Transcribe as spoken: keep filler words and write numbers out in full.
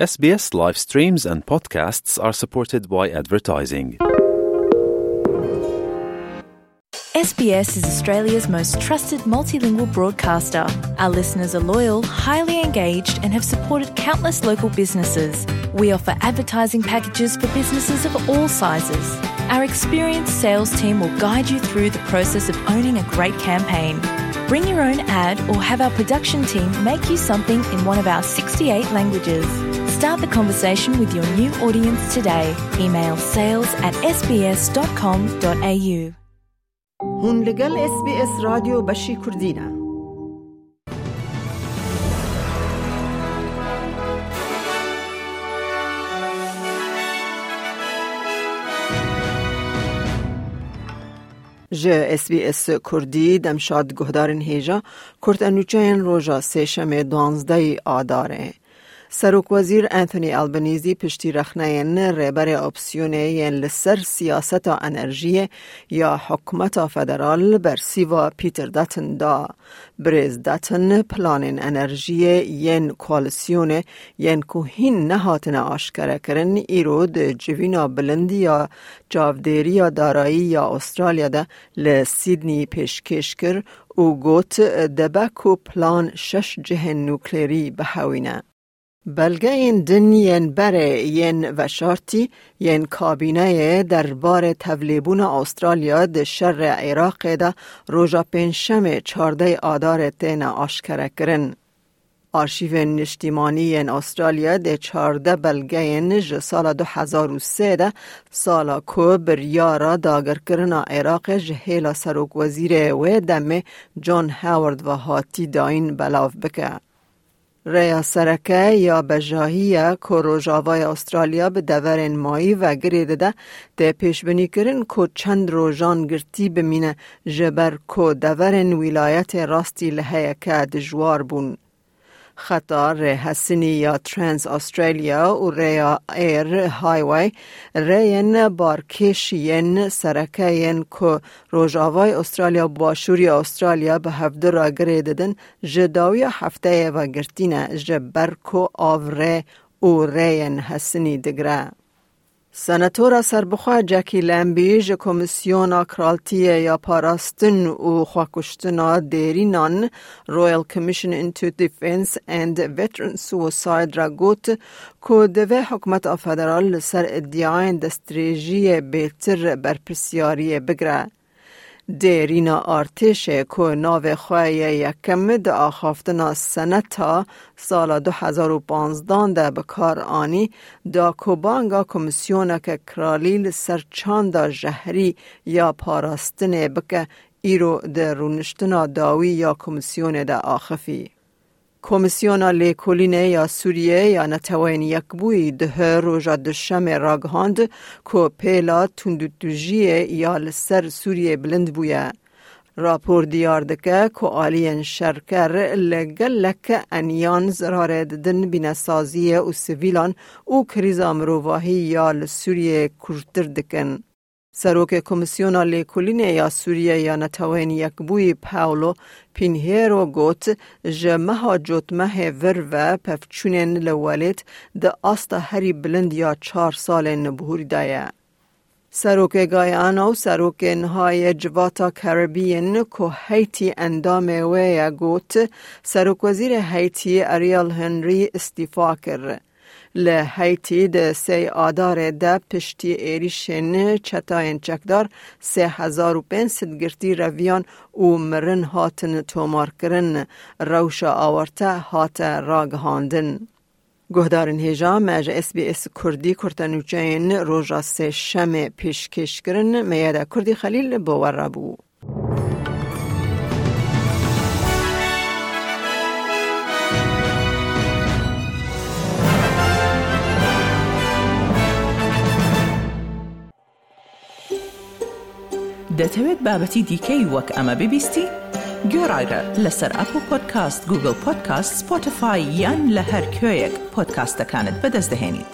S B S live streams and podcasts are supported by advertising. S B S is Australia's most trusted multilingual broadcaster. Our listeners are loyal, highly engaged, and have supported countless local businesses. We offer advertising packages for businesses of all sizes. Our experienced sales team will guide you through the process of owning a great campaign. Bring your own ad or have our production team make you something in one of our sixty-eight languages. Start the conversation with your new audience today. Email sales at S B S dot com dot A U. Hûn li gel S B S Radyo Beşî Kurdî ne. Ji S B S Kurdî demşad guhdarên hêja, kurte nûçeyên roja sêşemê duwazdehê Adarê. Serokwezîr Anthony Albanese piştî rexneyên rêberê opsiyonê yên li ser siyaseta enerjiyê ya hikûmeta federal bersîva Peter Dutton da. Birêz Dutton planên enerjiyê yên koalîsyonê yên ku hîn nehatine aşkerekirin, îro di civîna bilind ya çavdêriya darayî ya Australya de li Sydney pêşkêş kir û got, dibe ku plan şeş cihên nuklerî bihewîne. Belgeyên din yên berê yên veşartî yên kabîneyê derbarê tevlêbûna Australya di şerê Iraqê de roja Pêncşemê çardeh Adarê têne aşkerekirin. Arşîvên Niştîmanî yên Australya dê çardeh belgeyên ji sala du hezar û sê de, sala ku biryara dagirkirina Iraqê ji hêla serokwezîrê wê demê John Howard ve hatî dayîn, belav bike. Rêya sereke ya bejahî ye ku Rojavayê Australya bi deverên mayî ve girê dide, tê pêşbinîkirin ku çend rojan girtî bimîne, ji ber ku deverên wîlayetê rastî li heyeke dijwar bûn. Xeta rêhesinî ya Trans Australia û rêya Air Highway rêyên barkêş yên sereke yên ku Rojavayê Australia û Başûrê Australia bi hevdu re girê didin, ji dawiya hefteyê ve girtî ne, ji ber ku av rê û rêyên hesinî digire. Senatora serbixwe Jackie Lambie ji Komîsyona Kraltiyê ya Parastin û Xwekuştina Dêrînan, Royal Commission into Defence and Veteran Suicide, re got ku divê hikûmeta federal li ser îdiayên destdirêjiyê bêtir berpirsyariyê bigire. Dêrîna artêşê ku navê xwe yê yekem di axaftina seneta sala du hezar û panzdan de bi kar anî, da ku banga komîsyoneke kralî li ser çanda jehrî ya parastinê bike, îro di rûniştina dawî ya komîsyonê de axifî. Komîsyona Lêkolînê ya Sûriyê ya Neteweyên Yekbûyî duhê roja Duşemê ragihand ku pêla tundûtûjiyê ya li ser Sûriyê bilind bûye. Rapor diyar dike ku aliyên şerker li gelek eniyan zirarê didin bînesaziyê û sivîlan û krîza mirovahî ya li Sûriyê kûrtir dikin. Serokê Komîsyona Lêkolînê ya Sûriyê ya Neteweyên Yekbûyî Paulo Pinheiro got, ji meha Cotmehê vir ve pevçûnên li welêt di asta herî bilind ya çar salên bihurî de ye. Serokê Guyana û serokê niha yê Civata Karibî yên ku Haîtî endamê wê ye got, Serokwezîrê Haîtî Ariel Henry îstîfa kir. Li Haîtî di sê Adarê de piştî êrîşên çetayên çekdar sê hezar û pênc sed girtî reviyan û mirin hatin tomarkirin, rewşa awarte hate ragihandin. Guhdarên hêja, me ji S B S Kurdî kurtenûçeyên roja sêşemê pêşkêş kirin. Meyeda Kurdî Xelîl bo we re bû. دەتەوێت بابەتی دیکەی وەک ئەمە ببیستی؟ گوێڕایرە لەسەر ئەپڵ پۆدکاست، گوگڵ پۆدکاست، سپۆتیفای یان لە هەر کوێیەک پۆدکاستەکانت بەدەست دەهێنیت.